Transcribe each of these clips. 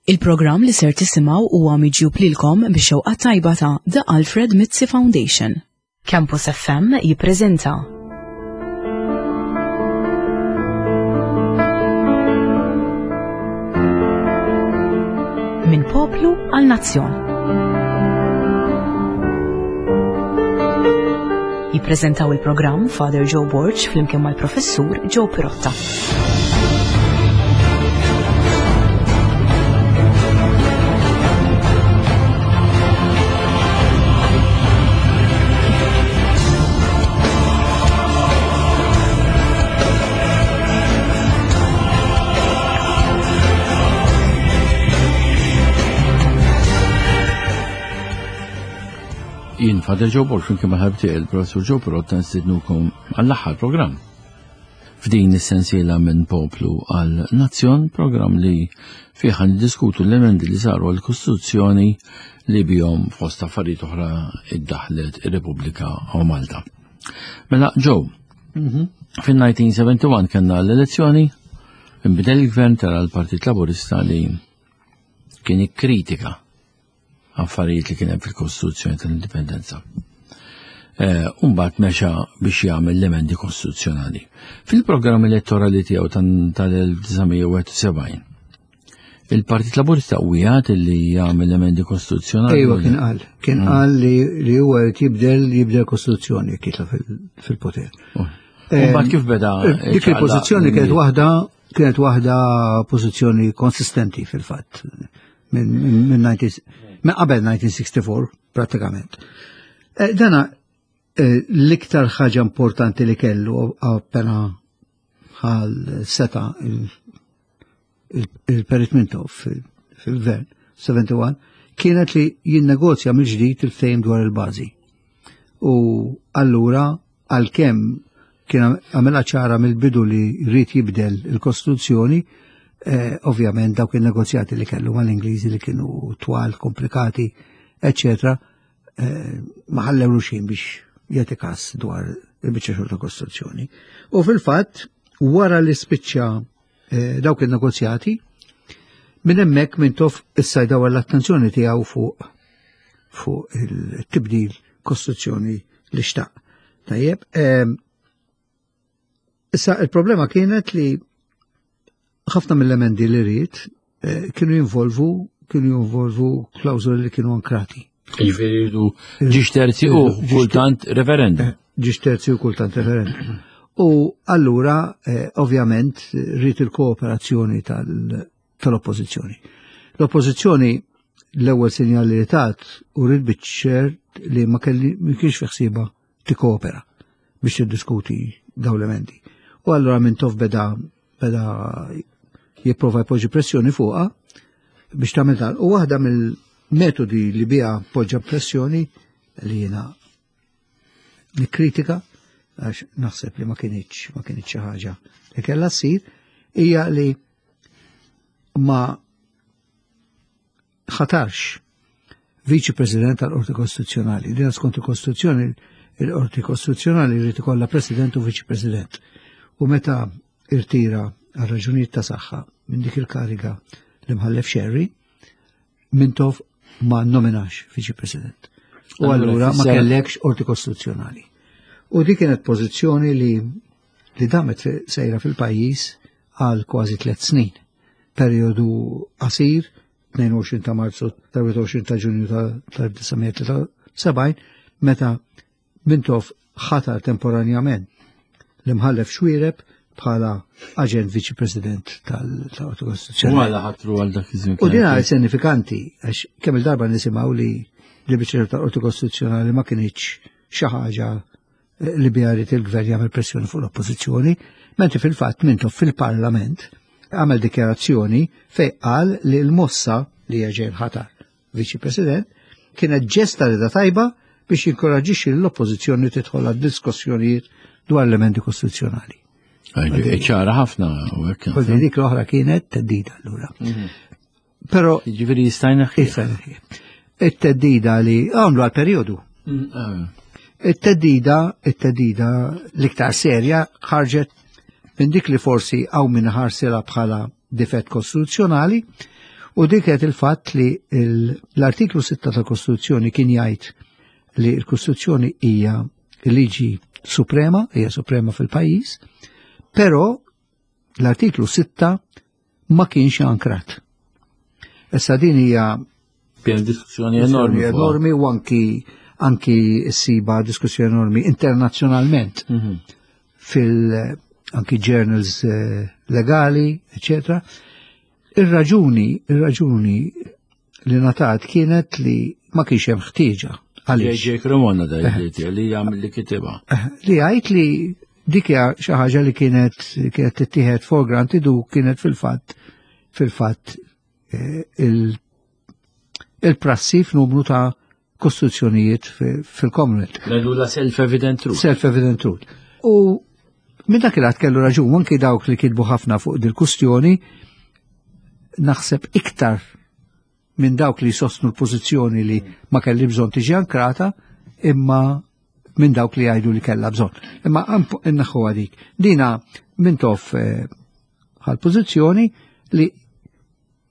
Il-programm li ser tisimgħu huwa miġjub lilkom bix-xewqa tajba ta' The Alfred Mizzi Foundation. Campus FM jippreżenta Minn poplu għal nazzjon. Jippreżentaw il-programm Father Joe Borg flimkien mal-Professur Joe Pirotta. Jien Father Joe Borg flimkien mal-ħabib tiegħi il-Professur Joe Pirotta nstidnukom għall-aħħar programm. F'din is-sensiela minn poplu għal nazzjon, programm li fih niddiskutu l-emendi li saru għall kostituzzjoni li bihom fost affarijiet oħra iddaħlet ir-Repubblika u Malta. Mela, Joe, mhm. fin-1971 kellna l-elezzjoni, inbidel il-gvern tara l-Partit Laburista li kien ikkritika affarijiet li kien hemm fil-Kostituzzjoni tal-Indipendenza. Eh, Umbat mexa biex jagħmel l-emendi kostituzzjonali. Fil-programm elettorali tiegħu tal-1971, il-Partit Laburista wijat li jagħmel emendi kostituzzjonali. Ejwa kien qal, kien mm. qal li huwa jrid jibdel jibdel kostituzzjoni jekk jitla fil-poter. Oh. Umbat kif beda? Eh, dik il-pożizzjoni kienet waħda kienet waħda pożizzjoni konsistenti fil-fatt minn qabel 1964 pratikament. Eh, dana eh, l-iktar ħaġa importanti li kellu appena ħal seta il-Perit Mintoff fil-gvern 71 kienet li jinnegozja mill-ġdid il-ftehim dwar il-bażi. U allura għalkemm kien għamela ċara mill-bidu li rrid jibdel il-Kostituzzjoni, eh, ovvjament dawk il-negozjati li kellu mal-Ingliżi li kienu twal, komplikati, eccetera, eh, ma ħallewlu xejn biex jagħti kas dwar il-biċċa xogħol ta' Kostituzzjoni. U fil-fatt, wara li spiċċa eh, dawk il-negozjati, minn hemmhekk minn tof issa jdawar l-attenzjoni tiegħu fuq fuq il-tibdil kostituzzjoni li xtaq. Tajjeb, ehm, issa il-problema kienet li ħafna mill-emendi li rrid eh, kienu jinvolvu kienu jinvolvu klawżoli li kienu ankrati. Jiġifieri jridu ġiex terzi u kultant referendum. Eh, ġiex terzi u kultant referendum. U allura, eh, ovvjament, rrid il-kooperazzjoni tal-oppożizzjoni. L-oppożizzjoni l-ewwel sinjal li tat u rrid biċ li ma kelli ma kienx fi ħsieba tikkoopera biex tiddiskuti dawn l-emendi. U allura minn tof beda beda jipprova jpoġġi pressjoni fuqha biex tagħmel dan. U waħda mill-metodi li biha poġġa pressjoni li jiena nikkritika għax naħseb li ma kienx ma kienx xi ħaġa li kellha ssir hija li ma ħatarx Viċi President tal-Qorti Kostituzzjonali. Din skont il-Kostituzzjoni, il-Qorti Kostituzzjonali jrid ikollha President u Viċi President. U meta irtira għal raġunijiet ta' saħħa minn dik il-kariga li mħallef Sherry, Mintoff ma nominax Viċi President. U allura ma kellekx Qorti Kostituzzjonali. U dik kienet pożizzjoni li li damet sejra fil-pajjiż għal kważi tliet snin. Perjodu qasir 22 ta' Marzu ta' 21 ta' Ġunju tal-1973 meta Mintoff ħatar temporanjament l-imħallef Xwireb bħala aġent viċi president tal-Qorti Kostituzzjonali. U għala ħatru għal dak iż-żmien. U din għal sinifikanti għax kemm il-darba nisimgħu li l-biċċa tal-Qorti Kostituzzjonali ma kienx xi ħaġa li biha jrid il-gvern jagħmel pressjoni fuq l-oppożizzjoni, mentri fil-fatt Mintoff fil-Parlament għamel dikjarazzjoni fej qal li l-mossa li jerġa' jinħatar viċi president kienet ġesta rida tajba biex jinkoraġixxi l-oppożizzjoni tidħol għad diskussjonijiet dwar l-emendi kostituzzjonali. Ċara ħafna u hekk. Dik l-oħra kienet teddida allura. Mhm. Pero. Ġifieri jista' jneħħi. Jista' jneħħi. It-teddida li għamlu għal periodu. Mm, ah. It-teddida, it-teddida l-iktar serja ħarġet minn dik li forsi għaw minn ħarsela bħala difett kostituzzjonali. U dik kienet il-fatt li l-artiklu 6 tal-Kostituzzjoni kien jgħid li l-Kostituzzjoni hija liġi suprema, hija suprema fil-pajjiż, però l-artiklu 6 ma kienx ankrat. Issa din hija Kien diskussjoni enormi. Enormi u anki anki siba diskussjoni enormi internazzjonalment mhm. fil anki journals eh, legali, eccetera. Ir-raġuni, ir-raġuni li natat kienet li ma kienx hemm ħtieġa. Għaliex. J.J. Cremona da eh. li jagħmel li kitibha. Eh, li jgħid li dik hija xi ħaġa li kienet kienet tittieħed for granted u kienet fil-fatt fil-fatt eh, il-prassi f'numru ta' kostituzzjonijiet fil-Commonwealth. Ngħidu self-evident truth. Self-evident truth. U minn dak il kellu raġun, anki dawk li kitbu ħafna fuq dil-kustjoni, naħseb iktar minn dawk li sostnu l-pożizzjoni li ma kelli bżonn tiġi ankrata, imma minn dawk li jgħidu li kellha bżonn. Imma innaħħu għadik. Dina minn tof eh, għal pożizzjoni li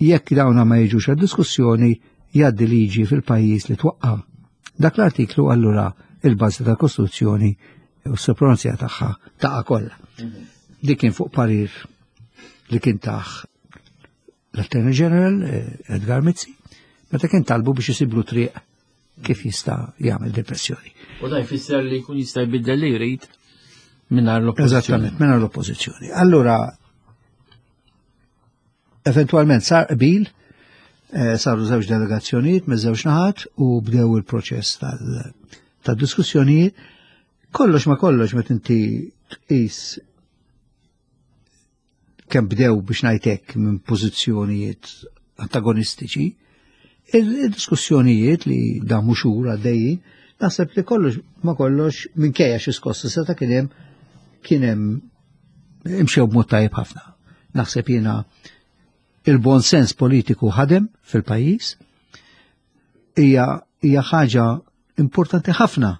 jekk dawna ma jiġux għad diskussjoni jgħaddi liġi fil-pajjiż li twaqqa. Dak l-artiklu allura il-bażi tal-Kostituzzjoni u s-supremazija tagħha taqa' kollha. Mhm. Dik kien fuq parir li kien taħ l-Attorney General eh, Edgar Mizzi, meta kien talbu biex isiblu triq kif jista' jagħmel depressjoni. U da jfisser li jkun jista' jbiddel li jrid mingħajr l-oppożizzjoni. Eżattament, mingħajr l-oppożizzjoni. Allura Eventualment sar qbil, eh, saru żewġ delegazzjonijiet me żewġ naħat u bdew il-proċess tal-diskussjonijiet. Kollox ma kollox meta inti tqis kemm bdew biex ngħidlek minn pożizzjonijiet antagonistiċi, il-diskussjonijiet li damu xhur għaddejjin, naħseb li kollox ma kollox minkejja xi skossa seta' kien hemm kien hemm imxew b'mod tajjeb ħafna. Naħseb jiena il-bon sens politiku ħadem fil-pajjiż hija hija ħaġa importanti ħafna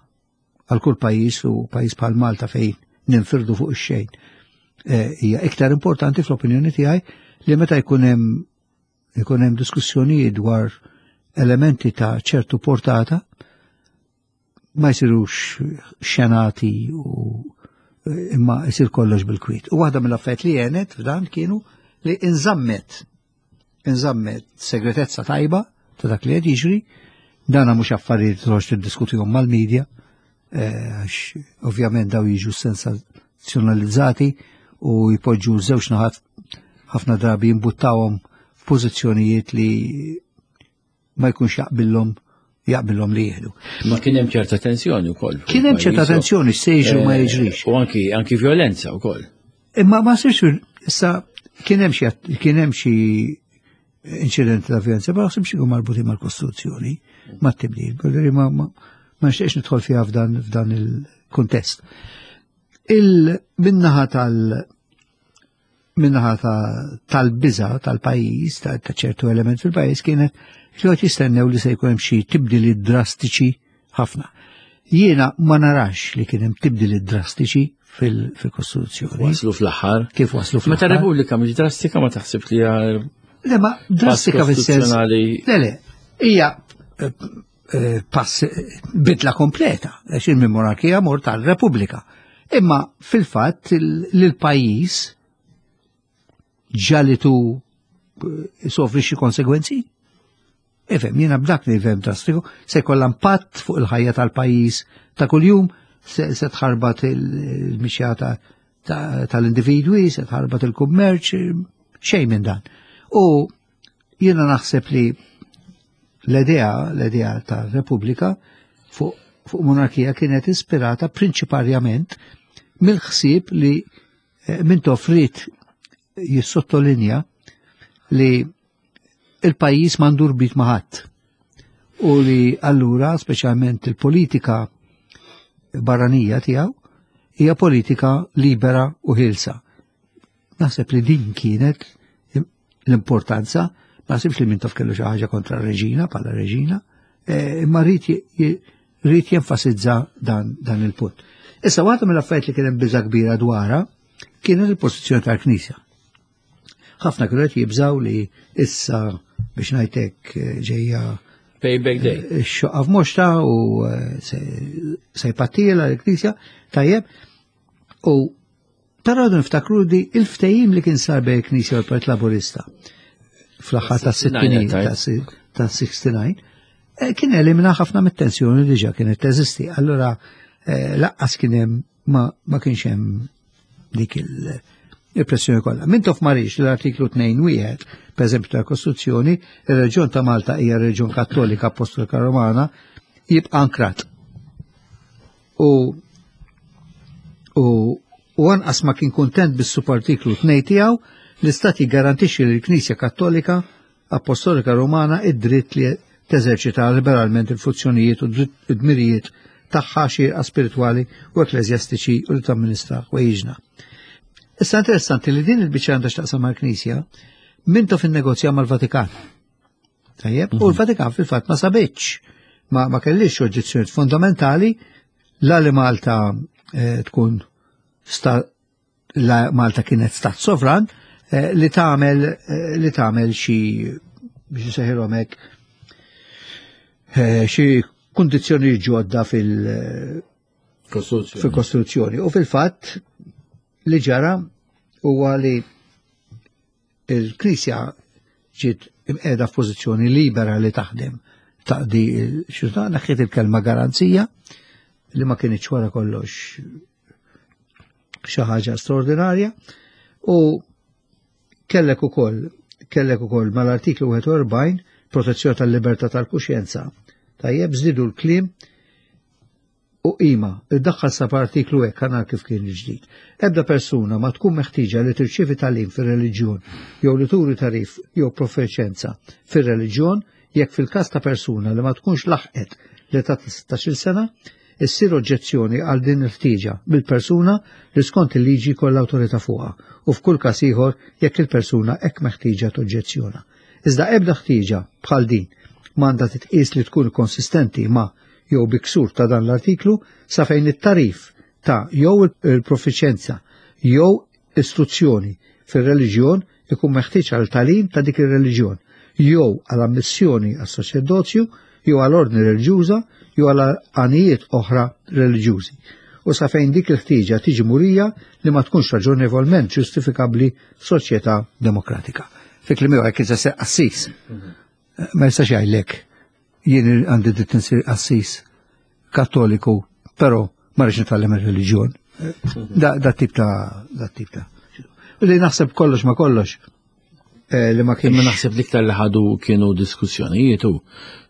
għal kull pajjiż u pajjiż bħal Malta fejn ninfirdu fuq ix-xejn. Eh, hija iktar importanti fl-opinjoni tiegħi li meta jkun hemm ikun hemm diskussjonijiet dwar elementi ta' ċertu portata ma jsirux xenati u imma jsir kollox bil-kwiet. U waħda mill-affarijiet li għenet f'dan kienu li inżammet inżammet segretezza tajba ta' dak li qed jiġri, dana mhux affarijiet toħroġ tiddiskutihom mal-medja, eh, għax ovvjament daw jiġu sensazzjonalizzati u jpoġġu żewġ naħat ħafna drabi jimbuttawhom f'pożizzjonijiet li ma jkunx jaqbillhom jaqbillhom li jieħdu. Ma kien hemm ċerta tensjoni wkoll. Kien hemm ċerta tensjoni se jiġri ma eh, jiġrix. U anki anki violenza wkoll. Imma ma sirx issa kien hemm xi kien hemm xi inċidenti ta' violenza, ma naħsibx ikun marbuti mal-Kostituzzjoni, mat-tibdil, ma ma nixtieqx nidħol fiha f'dan f'dan il-kuntest. Il-minnaħa tal- minnaħa tal-biża tal-pajjiż, ta' ċertu element fil-pajjiż kienet li qed jistennew li se jkun hemm xi tibdiliet drastiċi ħafna. Jiena ma narax li kien hemm tibdiliet drastiċi fil-Kostituzzjoni. Waslu fl-aħħar. Kif waslu fl-aħħar? Meta Repubblika mhix drastika ma taħsib li hija Le ma drastika fis-sens. Le le, hija eh, eh, pass bidla kompleta, għax il-monarkija mor tal-Repubblika. Imma fil-fatt l-pajjiż ġalitu eh, sofri xi konsegwenzi. Ifhem, jiena b'dak li fhem drastiku, se jkollha impatt fuq il-ħajja tal-pajjiż ta' kuljum, se tħarbat il-mixja tal-individwi, se tħarbat il-kummerċ, xejn minn dan. U jiena naħseb li l-idea, l-idea ta' Repubblika fuq fuq monarkija kienet ispirata prinċiparjament mill-ħsieb li eh, Mintoff ried jissottolinja li il-pajjiż m'għandu rbit ma' ħadd. U li allura speċjalment il-politika barranija tiegħu hija politika libera u ħilsa. Naħseb li din kienet l-importanza, ma naħsibx li Mintoff kellu xi ħaġa kontra r-reġina bħala reġina, eh, imma rrid jenfasizza dan, dan il-punt. Issa waħda mill-affarijiet li kien hemm biża kbira dwarha kienet il-pożizzjoni tal-Knisja. Ħafna kienu qed jibżaw li issa biex ngħidlek eh, ġejja Payback Day. Eh, xoqqa f'moxta u eh, se jpattila l-Knisja, tajjeb. U però niftakru di il-ftehim li kien sar bejn il-Knisja u l-Partit Laburista fl-aħħar ta' 69 ta' 69 eh, kien elimina ħafna mit-tensjoni li ġa kienet teżisti. Allura laqqas kien hemm ma kienx hemm dik il-pressjoni kollha. Mintoff ma riedx l-artiklu 2 wieħed, per eżempju tal-Kostituzzjoni, ir-Reġjun ta' Malta hija Reġjun Kattolika Apostolika Romana, jibqa' ankrat. U u u anqas ma kien kontent bis-subartiklu 2 tiegħu l-Istat jiggarantixxi lill-Knisja Kattolika Apostolika Romana id-dritt li teżerċita liberalment il-funzjonijiet u d-dmirijiet tagħha xierqa spiritwali u ekkleżjastiċi u li tamministra ħwejjiġna. Issa interessanti li din il-biċċa għandha x'taqsam mal-Knisja Mintoff innegozja mal-Vatikan. Tajjeb, u l-Vatikan fil-fatt ma sabitx, ma, ma kellix oġġezzjonijiet fundamentali la li Malta eh, tkun sta, la Malta kienet stat sovran eh, li tagħmel eh, li tagħmel xi biex nsejħilhom hekk eh, xi kundizzjoni ġodda fil- fil-Kostituzzjoni. U fil-fatt li ġara huwa li il-Knisja ġiet imqiegħda f'pożizzjoni libera li taħdem taqdi xi neħħiet il-kelma garanzija li ma kienx wara kollox xi ħaġa straordinarja u kellek ukoll kellek ukoll mal-artiklu 41 protezzjoni tal-libertà tal-kuxjenza. Tajjeb żidu l-kliem u qima, iddaħħal sa artiklu hekk għana kif kien il-ġdid. Ebda persuna ma tkun meħtieġa li tirċievi tagħlim fir-reliġjon jew li turi tagħrif jew profiċenza fir-reliġjon jekk fil-każ ta' persuna li ma tkunx laħqet l-età ta' 16 sena, issir oġġezzjoni għal din il-ħtieġa mill-persuna li skont il-liġi kollha awtorità fuqha u f'kull każ ieħor jekk il-persuna hekk meħtieġa toġġezzjona. Iżda ebda ħtieġa bħal din m'għandha titqies li tkun konsistenti ma' jew bi ksur ta' dan l-artiklu sa fejn it-tagħrif ta' jew il-profiċenza jew istruzzjoni fir-reliġjon ikun meħtieġ għal tagħlim ta' dik ir-reliġjon jew għal ammissjoni għas saċerdozju jew għal ordni reliġjuża jew għal għanijiet oħra reliġjużi u sa fejn dik il-ħtieġa tiġi murija li ma tkunx raġonevolment ġustifikabbli soċjetà demokratika. Fi kliem ieħor jekk se qassis. Ma jistax jgħidlek jien għandi dritt insir qassis kattoliku, però ma rridx nitgħallem ir-reliġjon. Da, da tip ta' da tip ta' U li naħseb kollox ma kollox eh, li ma kienx. Imma naħseb l-iktar li ħadu kienu diskussjonijiet u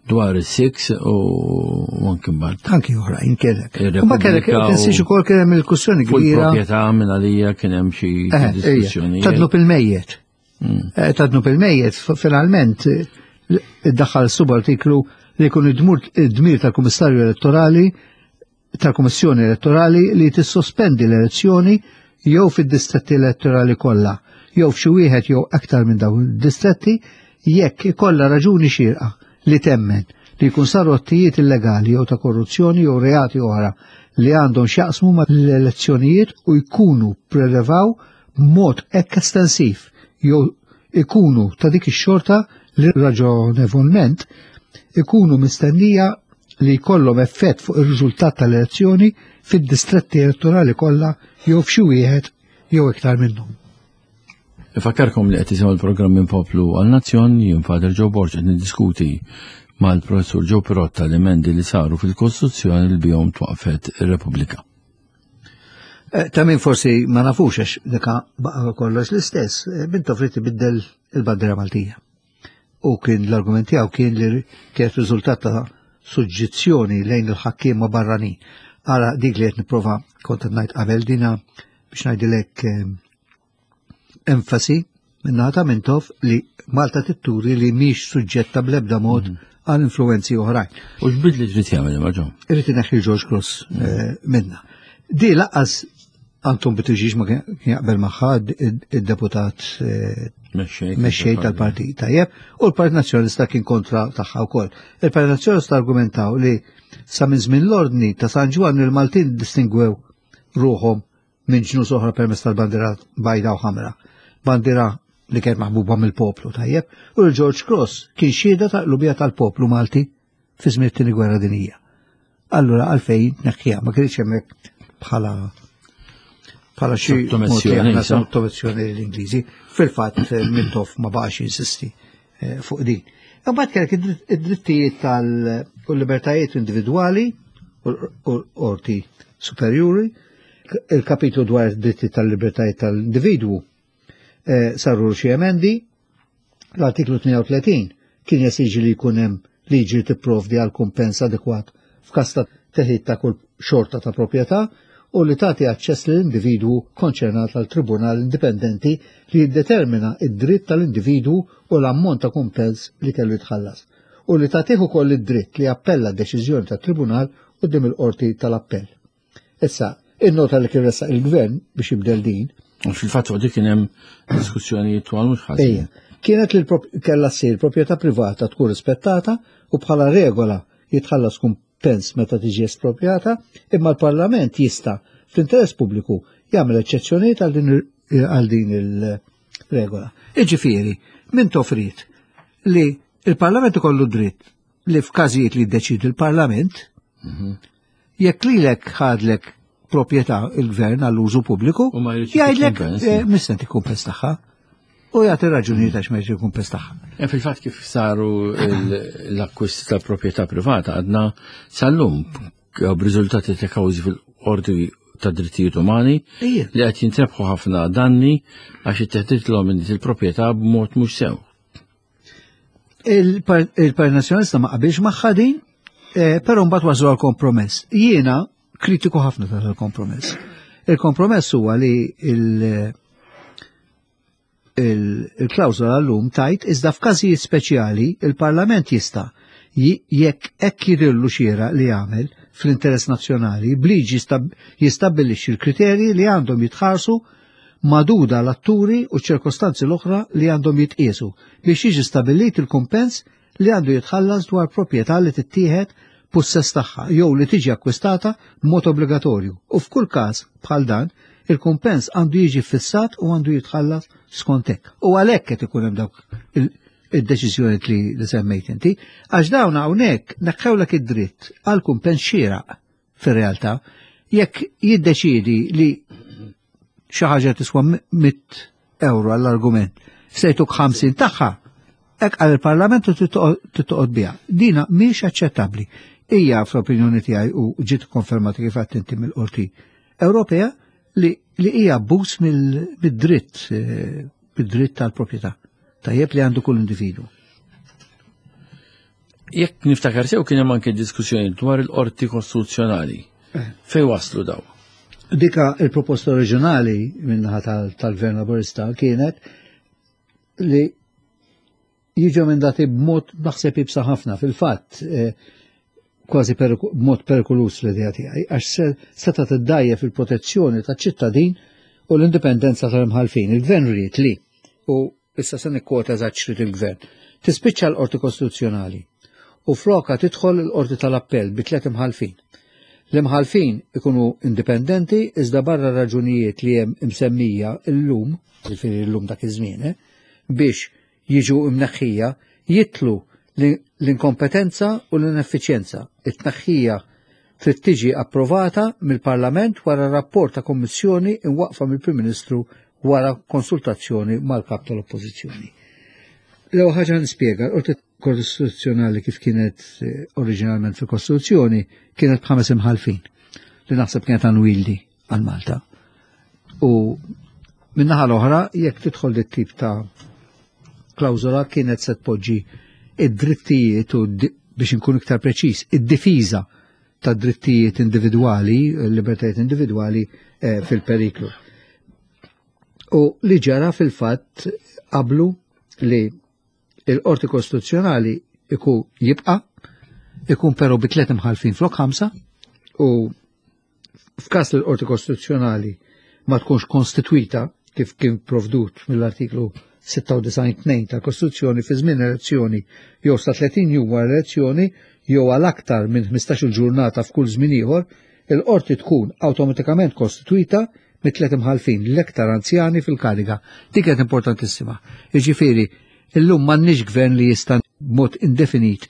dwar is-six u anki mbagħad. Anki oħrajn kellek. U ma kellek tinsiex ukoll kien hemm il-kussjoni Fuq kbira. il-proprjetà minn għalija kien hemm xi Eh, ejja, diskussjonijiet. Ta' dnub il-mejjet. Eh, Ta' dnub il-mejjet, finalment, eh, iddaħħal subartiklu li jkun id-dmir tal-Kummissarju Elettorali tal-Kummissjoni Elettorali li tissospendi l-elezzjoni jew fid-distretti elettorali kollha, jew f'xi wieħed jew aktar minn dawn id-distretti jekk ikollha raġuni xierqa li temmen li jkun saru attijiet illegali jew ta' korruzzjoni jew reati oħra li għandhom x'jaqsmu ma' l-elezzjonijiet u jkunu prelevaw b'mod hekk estensiv jew ikunu ta' dik ix-xorta li raġonevolment ikunu mistennija li jkollhom effett fuq ir-riżultat tal-elezzjoni fid-distretti elettorali kollha jew f'xi wieħed jew iktar minnhom. Ifakkarkom li qed tisimgħu l-programm minn Poplu għal Nazzjon, jien Father Joe Borg qed niddiskuti mal-Professur Joe Pirotta l-emendi li saru fil-Kostituzzjoni li bihom twaqfet ir-Repubblika. Eh, Ta' min forsi ma nafux għax dika baqa kollox l-istess, eh, Mintoff ried ibiddel il-bandiera Maltija. U kien l-argument tiegħu kien li kienet riżultat ta' suġġizzjoni lejn il-ħakkiema barranin. Ara dik li qed nipprova kont qed ngħid qabel dina biex ngħidilek eh, enfasi minnaħa ta' Mintoff li Malta titturi li mhix suġġetta bl-ebda mod għal influenzi oħrajn. U x'bidli trid jagħmel imma Joe? Irrid ineħħi George Cross eh, minna. Di lanqas Anton Buttigieg ma kien jaqbel magħha id-deputat eh, Mexxej. mexxej tal-partit tajjeb u l-Partit Nazzjonalista kien kontra tagħha wkoll. Il-Partit Nazzjonalista argumentaw li sa minn żmien l-ordni ta' San Ġwann il-Maltin distingwew ruħhom minn ġnus oħra permezz tal-bandiera bajda u ħamra. Bandiera li kienet maħbuba mill-poplu tajjeb, u l-George Cross kien xhieda ta' qlubija tal-poplu Malti fi żmien it-tieni gwerra dinija. Allura għalfejn tneħħiha ma kienx hemmhekk bħala bħala xi sottomissjoni l-Ingliżi. Fil-fatt eh, Mintoff ma baqax jinsisti eh, fuq din. Imbagħad kellek id-drittijiet tal-libertajiet individwali u l-qorti superjuri, il-kapitlu dwar id-dritti tal-libertajiet tal-individwu eh, saru xi emendi, l-artiklu 32 kien jesiġi li jkun hemm liġi li tipprovdi għal kumpens adekwat f'każ ta' teħid ta' kull xorta ta' proprjetà u li tagħti aċċess lill-individwu konċernat għal tribunal indipendenti li jiddetermina id-dritt tal-individwu u l-ammont ta' kumpens li kellu jitħallas u li tagħtih ukoll id-dritt li jappella d-deċiżjoni tat-tribunal quddiem il-qorti tal-appell. Issa, in-nota li kien ressaq il-gvern biex jibdel din. Fil-fatt fuq dik kien hemm diskussjonijiet twal mhux ħażin. Kienet li kellha ssir proprjetà privata tkun rispettata u bħala regola jitħallas kumpens meta tiġi esproprjata, imma l-Parlament jista' fl-interess pubbliku jagħmel eċċezzjonijiet għal din il-regola. Iġifieri, min tofrit li il-Parlament ikollu dritt li f'każijiet li jiddeċidi l-Parlament, mhm. jekk lilek ħadlek proprjetà il-gvern għall-użu pubbliku, jgħidlek eh, mistenti kumpens tagħha. U jagħti raġunijiet għax ma jġi kumpens tagħha. Eh, fil-fatt kif saru l-akkwist tal-proprjetà privata għadna sal-lum b'riżultati ta' kawżi fil-qorti ta' drittijiet umani li qed jintrebħu ħafna danni għax it-teħdit minn il-proprjetà b'mod mhux sew. Il-Partit Nazzjonalista ma qabilx magħha din, eh, però mbagħad waslu għal kompromess. Jiena kritiku ħafna ta' il-kompromess. Il-kompromess huwa li il-klawżola l-lum tajt iżda f'każijiet speċjali il-Parlament jista' jekk hekk jidhirlu xiera li jagħmel fl-interess nazzjonali bliġi jistabbilixxi l-kriterji li għandhom jitħarsu magħduda l-atturi u ċ-ċirkostanzi l-oħra li għandhom jitqiesu biex jiġi stabbilit il-kumpens li għandu jitħallas dwar proprjetà li tittieħed pussess tagħha jew li tiġi akkwistata b'mod obbligatorju u f'kull każ bħal dan il-kumpens għandu jiġi ffissat u għandu jitħallas skont hekk. U għalhekk qed ikun hemm dawk id-deċiżjonijiet li, li semmejt inti, għax dawn hawnhekk neħħewlek id-dritt għal kumpens xieraq fir-realtà, jekk jiddeċiedi li xi ħaġa tiswa 100 euro għall-argument, se jtuk 50 tagħha, hekk għal il-Parlament u tittoqgħod biha. Dina mhix aċċettabbli. Hija fl-opinjoni tiegħi u ġiet konfermata kif għedt inti mill-Qorti Ewropea li li hija abbuż mid-dritt eh, mid-dritt tal-proprjetà. Tajjeb li għandu kull individu. Jekk niftakar sew kien hemm anke diskussjoni dwar il-qorti kostituzzjonali. Eh. Fej waslu daw? Dika il-proposta oriġinali minnaħa tal-Gvern Laburista kienet li jiġu emendati b'mod naħseb ibsa ħafna fil-fatt eh, kważi b'mod perikolus l-idea tiegħi għax seta' tiddajjef il-protezzjoni taċ-ċittadin u l-indipendenza tal-imħalfin. Il-gvern ried li u issa se nikkwota eżatt x'ried il-Gvern, tispiċċa l-Qorti Kostituzzjonali u flokha tidħol il-Qorti tal-Appell bi tliet imħallfin. L-imħallfin ikunu indipendenti iżda barra raġunijiet li hemm imsemmija llum, jiġifieri llum dak iż-żmien, eh, biex jiġu imneħħija jitlu l-inkompetenza u l-ineffiċjenza. It-tneħħija trid tiġi approvata mill-Parlament wara rapport ta' kummissjoni imwaqqfa mill-Prim Ministru wara konsultazzjoni mal-Kap tal-Oppożizzjoni. L-ewwel ħaġa nispjega, l-Qorti Kostituzzjonali kif kienet eh, oriġinalment fil-Kostituzzjoni kienet b'ħames imħalfin li naħseb kienet unwieldy għal Malta. U minnaħa l-oħra, jekk tidħol dit tip ta' klawżola kienet se tpoġġi id-drittijiet u biex inkun iktar preċiż, id-difiża ta' drittijiet individwali, libertajiet individwali eh, fil-periklu. U li ġara fil-fatt qablu li il-Qorti Kostituzzjonali iku jibqa' ikun però bi tliet imħalfin flok ħamsa u f'każ li l-Qorti Kostituzzjonali ma tkunx konstitwita kif kien provdut mill-artiklu 96.2 tal-Kostituzzjoni fi żmien elezzjoni jew sa 30 jum wara elezzjoni jew għal aktar minn 15-il ġurnata f'kull żmien ieħor, il-qorti tkun awtomatikament kostitwita. mit-tliet imħallfin l-iktar anzjani fil-kariga. Dik kienet importantissima. Jiġifieri, illum m'għandniex gvern li jista' b'mod indefinit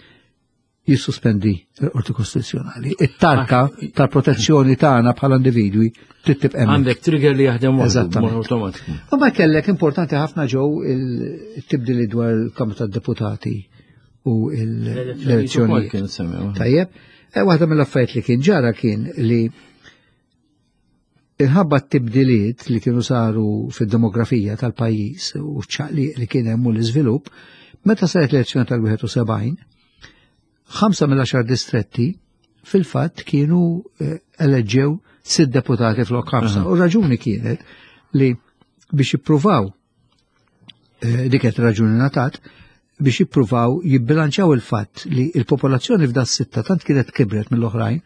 jissospendi l-Qorti Kostituzzjonali. It-tarka ah. tal-protezzjoni tagħna bħala individwi trid tibqa' Għandek trigger li jaħdem automatiku. U ma kellek importanti ħafna ġew il-tibdili dwar il-Kamra tad-Deputati u l-elezzjoni. Tajjeb, e, waħda mill-affarijiet li kien ġara kien li Inħabba t-tibdiliet li kienu saru fid-demografija tal-pajjiż u ċ-ċaqliq li kien hemm u l-iżvilupp, meta saret l-elezzjoni tal-71, ħamsa mill-għaxar distretti fil-fatt kienu eh, eleġġew sitt deputati flok ħamsa. U raġuni kienet li biex jippruvaw eh, dik qed raġuni natat biex jippruvaw jibbilanċjaw il-fatt li il-popolazzjoni f'da sitta tant kienet kibret mill-oħrajn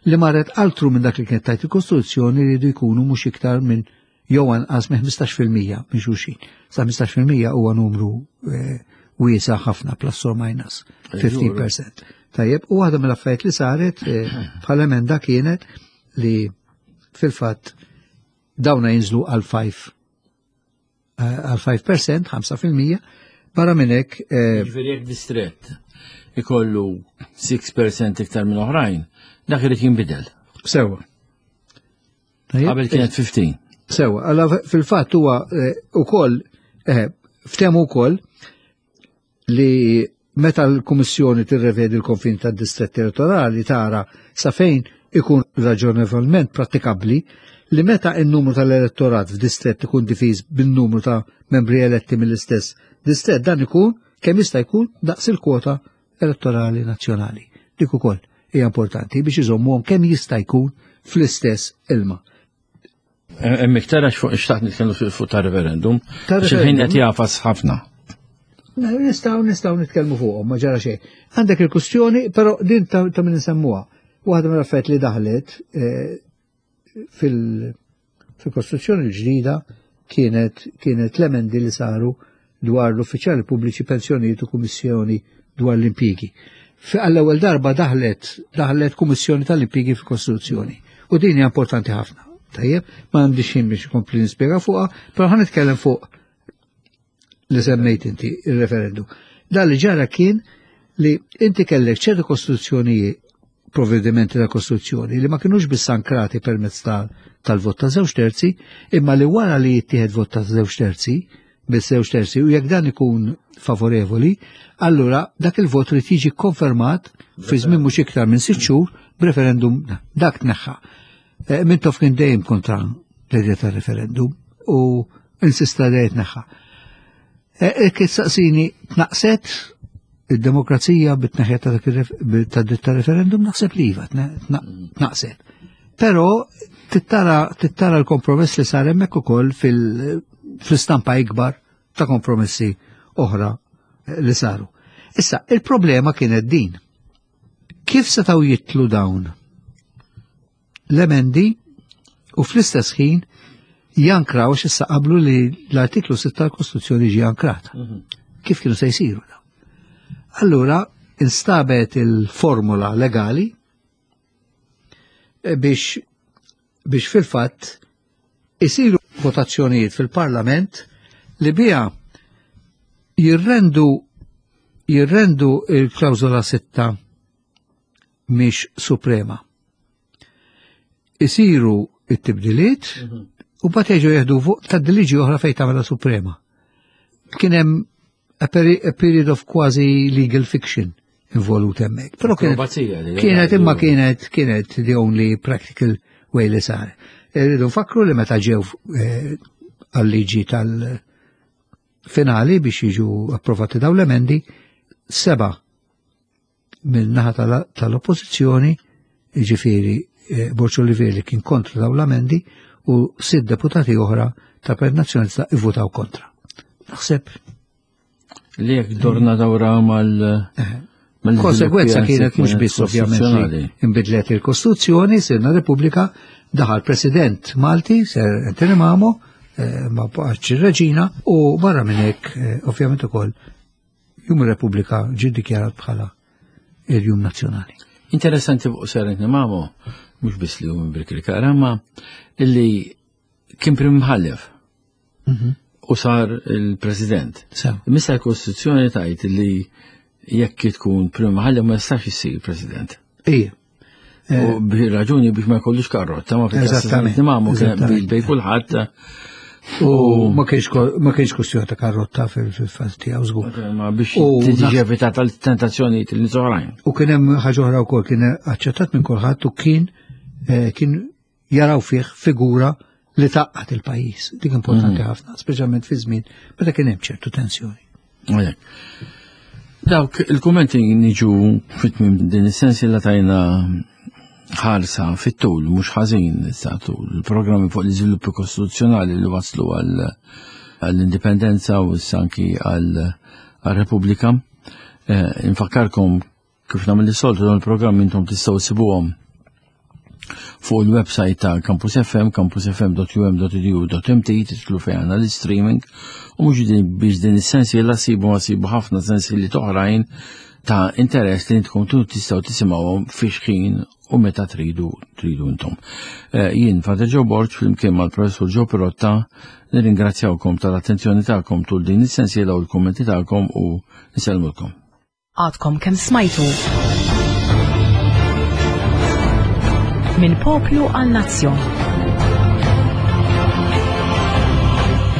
li marret altru minn dak li kienet tajt il-Kostituzzjoni li jridu jkunu mhux iktar minn jew anqas minn 15% minn xulxin. Sa 15% huwa numru eh, wiesa ħafna plus or minus 15%. Tajjeb, u waħda mill-affarijiet li saret eh, bħala emenda kienet li fil-fatt dawna jinżlu għal 5 eh, għal 5%, 5%, barra minn hekk. Eh, Ġifieri jekk distrett ikollu 6% iktar minn oħrajn, dak irid jinbidel. Sewa. Qabel kienet 15. Sewa, għalla fil-fatt huwa eh, ukoll ftehmu wkoll li meta l-Kummissjoni tirrevedi l-konfini tad-distretti elettorali tara sa fejn ikun raġonevolment prattikabbli li meta n-numru tal-elettorat f'distrett ikun difiż bin-numru ta' membri eletti mill-istess distrett dan ikun kemm jista' jkun daqs il-kwota elettorali nazzjonali. Dik ukoll hija importanti biex iżommuhom kemm jista' jkun fl-istess ilma. Hemm iktar għax fuq xtaqt nitkellmu fuq ta' referendum. Il-ħin qed jafas ħafna. Nistgħu nistgħu nitkellmu fuqhom, ma ġara xejn. Għandek il-kustjoni, però din ta' min insemmuha. Waħda mill-affarijiet li daħlet eh, fil-Kostituzzjoni l-ġdida kienet kienet l-emendi li saru dwar l-uffiċjali pubbliċi pensjonijiet u kummissjoni dwar l-impjiegi. Għall-ewwel darba daħlet daħlet kummissjoni tal-impjiegi fil-Kostituzzjoni. U din hija importanti ħafna. Tajjeb, ma għandix ħin biex ikompli nispjega fuqha, però ħa nitkellem fuq li semmejt inti il-referendum. Dan li ġara kien li inti kellek ċertu kostituzzjonijiet provvedimenti ta' kostruzzjoni li ma kinux biss ankrati permezz tal-vot ta' żewġ terzi, imma li wara li jittieħed vot ta' żewġ terzi, biss żewġ terzi, u jekk dan ikun favorevoli, allura dak il-vot li tiġi konfermat fi żmien mhux iktar minn sitt xhur b'referendum dak tneħħa. Eh, Mintoff kien dejjem kontra l-idea tar-referendum u insista li jitneħħa. Eh, eh, kif saqsini tnaqset id-demokrazija bit-tneħħija ta' dritt ta' referendum naħseb li iva tnaqset. Però tittara l-kompromess li sar hemmhekk ukoll fil-istampa ikbar ta' kompromessi oħra li saru. Issa, il-problema kienet din. Kif setgħu jitlu dawn l-emendi u fl-istess ħin jankraw x'issa qablu li l-artiklu 6 tal-Kostituzzjoni ġie ankrata. Mhm. Kif kienu se jsiru dawn? Allura instabet il-formula legali eh, biex biex fil-fatt isiru votazzjonijiet fil-Parlament li biha jirrendu jirrendu il-klawżola sitta mhix suprema. Isiru it-tibdiliet mhm. u bat jeġu jieħdu fuq ta' liġi oħra fejn tagħmilha suprema. Kien hemm a period of quasi legal fiction involut hemmhekk. Però kienet kienet imma kienet kienet the only practical way li sar. Irridu nfakru li meta ġew eh, għal-liġi tal-finali biex jiġu approvati dawn l-emendi, seba mill-naħa tal-oppożizzjoni, jiġifieri eh, Borġ Olivier li kien kontra dawn l-amendi u sitt deputati oħra ta' Partit Nazzjonalista ivvutaw kontra. Naħseb li jekk dorna dawra mal eh, Konsegwenza kienet mhux biss ovvjament li inbidlet il-Kostituzzjoni, sirna Repubblika, daħal President Malti, Sir Anthony Mamo, eh, ma baqgħetx ir-reġina u barra minn hekk ovvjament ukoll Jum ir-Repubblika ġie ddikjarat bħala il-Jum Nazzjonali. Interessanti fuq Sir Anthony Mamo, mhux biss li hu minn Birkirkara, ma illi Kien prim mħallef. Mhm. U sar il-president. Missa l-Kostituzzjoni tajt li jekk tkun prim mħallef ma jistax issir president. Ija. U eh. bi raġuni biex ma jkollux karrotta, ma Eżattament. Ma kien bej kulħadd. U ma kienx kwestjoni ta' karrotta fil-fatt tiegħu żgur. Ma biex tiġi evitata l-tentazzjoni til nies oħrajn. U kien hemm ħaġa oħra wkoll kien aċċettat minn kulħadd u kien eh, kien jaraw fih figura li taqqat il-pajjiż. Dik importanti mm. ħafna, speċjalment fi żmien meta kien hemm ċertu tensjoni. Dawk il-kummenti niġu fit-tmiem din is-sens li tajna ħarsa fit-tul, mhux ħażin sa tul, il-programmi fuq l-iżviluppi kostituzzjonali li waslu għall-indipendenza u anki għall-Repubblika. Eh, infakkarkom Kif nagħmel is-soltu dawn il-programmi intom tistgħu ssibuhom fuq il-website ta' Campus FM, campusfm.um.edu.mt, titlu fejn għandna l-streaming, u mhux biex din is-sensiela sibu ma sibu ħafna sensieli oħrajn ta' interess li intkom tistgħu tisimgħuhom fi xħin u meta tridu tridu intom. Eh, jien Father Joe Borg flimkien mal-Professur Joe Pirotta nirringrazzjawkom tal-attenzjoni tagħkom tul din is-sensiela u l-kummenti tagħkom u nsellmulkom. Għadkom kemm smajtu. Minn poplu għal nazzjon.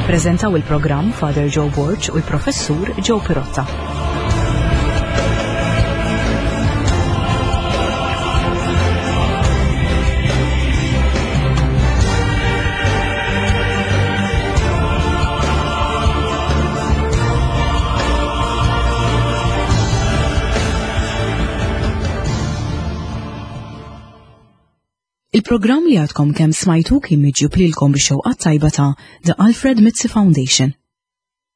Prezentaw il-programm Father Joe Borg u l-Professur Joe Pirotta. Il-programm li għadkom kemm smajtu kien miġjub lilkom bix-xewqat tajba ta' The Alfred Mizzi Foundation.